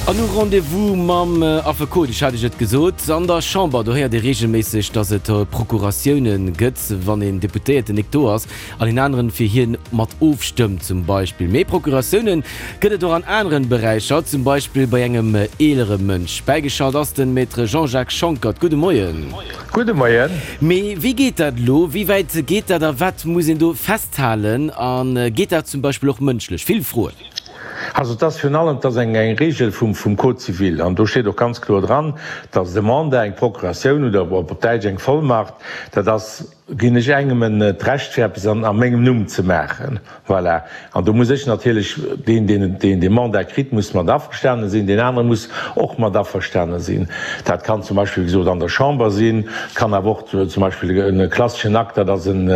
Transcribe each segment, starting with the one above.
An hu Rendez-vous mam Affekot, ech hat Iech et gesot, an der Chamber, do héiert ee reegelméisseg, datt et Procuratioune gëtt, wann een Deputéierten nik do ass an een aneren fir hien mat ofstëmmt zum Beispill. Mee Procuratioune gëtt et och an aneren Beräicher, zum Beispill bei engem eelere Mënsch. Bäigeschalt ass den Maître Jean-Jacques Schonckert. Gudde Moien. Gudde Moien. Mee wéi geet dat elo? Wéi wäit geet dat a wat muss een do festhalen? A geet dat zum Beispill och mënschlech? Vill Froen. Also et ass virun allem, et ass eng Regel vum Code civil an do steet och ganz kloer dran, dass de Mandat, eng Procuratioun oder op Däitsch eng Vollmacht, dat ass, ginn ech engem d'Recht fir eppes a mengem Numm ze maachen. Voilà. An do muss ech natierlech, deen, deen deen dee Mandat kritt, muss mat averstane sinn, deen anere muss och mat averstane sinn. Dat kann zum Beispill, wéi gesot, an der Chamber sinn, kann awer och zum Beispill e klasseschen Akt, dat ass en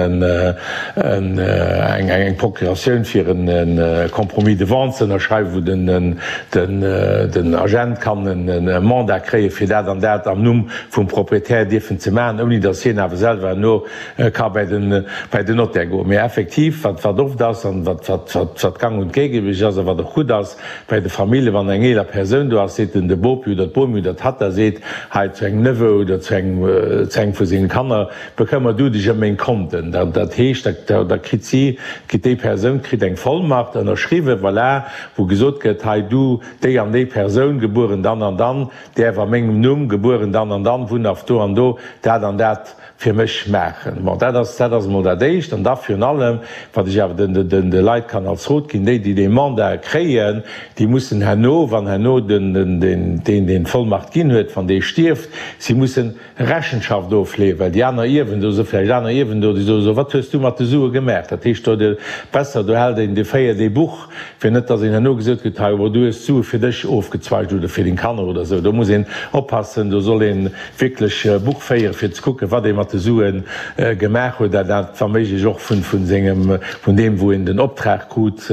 eng Procuratioun fir e Compromis de vente ze ënnerschreiwen, wou den Agent kann e Mandat kréie fir dat an dat am Numm vum Proprietär dierfen ze maachen, ouni datt hien awer selwer herno ka bäi den bäi den Notaire goen. Mee effektiv, wat wat oft ass an wat wat wat wat gang und gäbe ass a wat och gutt ass bäi de Familljen, wann eng eeler Persoun do ass, seet den de Bopi oder d'Bomi oder d'Tatta seet hei zu engem Neveu oder zu engem zu engem vu sengen Kanner, bekëmmer du dech ëm meng Konten. Dat dat heescht, da da kritt si kritt déi Persoun kritt eng Vollmacht ënnerschriwwen, voilà, wou gesot gëtt, hei du déi an déi Persoun, gebueren dann an dann, däerf a mengem Numm, gebueren dann an dann, wunnhaft do an do, dat an dat fir mech maachen. Bon, dat ass, dat ass emol dat Éischt. An da virun allem, wat ech awer den, den, de Leit kann als Rot ginn, déi, déi dee Mandat kréien, déi mussen herno, wann herno den, den, deen, deen d'Vollmacht ginn huet, wann dee stierft, si mussen Rechenschaft ofleeën, well déi aner Ierwen, do si vläicht aner Ierwen do, déi soen, So, wat hues du mat de Sue gemaach? Dat heescht, do besser, do hält een, do féiert ee Buch, fir net, dass een herno gesot kritt, Hei, du hues d'Sue fir dech ofgezweigt oder fir deng Kanner oder esou. Do muss een oppassen, do soll ee wierklech Buch féieren, fir ze kucken, wat ee mat de Sue gemaach huet, a dat wa méiglech och vun sengem, vun deem, wou een den Optrag krut,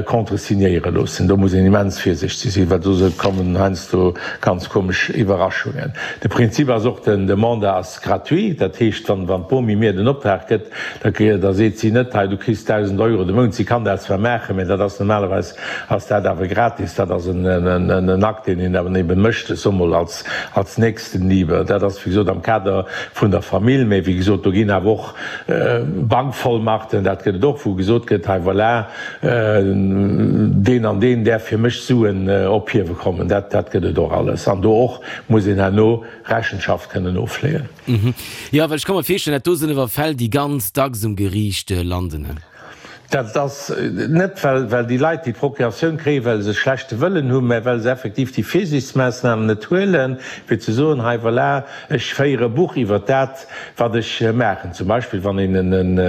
contresignéiere loossen. Do muss een immens virsichteg sinn, well do kommen heiansdo ganz komesch Iwwerraschungen. De Prinzip ass och, den, de Mandat ass gratuit, dat heescht, wann, wann d'Bomi mir den Optrag gëtt, da, da seet si net, hei, du kriss 1.000 Euro de Mount. Si kann dat zwar maachen, mä dat ass normalerweis ass dat awer gratis. Dat ass en, en, en Akt, deen een awer eben mécht, ech soe mol als, als Nächstenliebe. Dat ass, wéi gesot, am Kader vun der Famill, mä wéi gesot, do ginn awer och Bankvollmachten, dat gëtt et och, wou gesot gëtt, hei voilà, deen an deen däerf fir mech Suen ophiewe kommen. Dat, dat gëtt et och alles. An do och muss een herno Rechenschaft kënnen ofleeën. Jo, well ech ka mer virstellen, dat do sinn awer Fäll, déi ganz dacks um Geriicht landen. Dat ass net, well, well déi Leit déi Procuratioun kréien, well se schlechte Wëllen hunn, mä well se effektiv déi Virsiichtsmaassnamen net huelen, fir ze soen, hei voilà, ech féiere Buch iwwert dat, wat ech maachen. Zum Beispill wann een en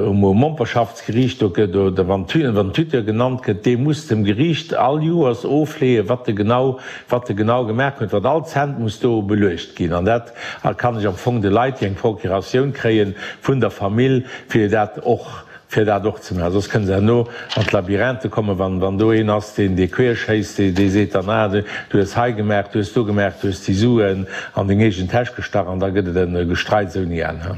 um Momperschaftsgeriicht do gëtt oder wann den Tuteur genannt gëtt, dee muss dem Geriicht all Joers ofleeën, wat e genau, wat e genau gemaach huet, wat all Cent muss do beluecht ginn. An dat kann ech am Fong de Leit, déi eng Procuratioun kréien vun der Famill, fir dat och, fir dat och ze maachen. Soss kënne se herno an d'Labyrinthe kommen, wann, wann do een ass, deen dee queerschéisst, dee, dee seet dann, ah, du hues hei gemaach, du hues do gemaach, du hues déi Suen an deng eegen Täsch gestach, an da gëtt et e Gestreits ouni Enn.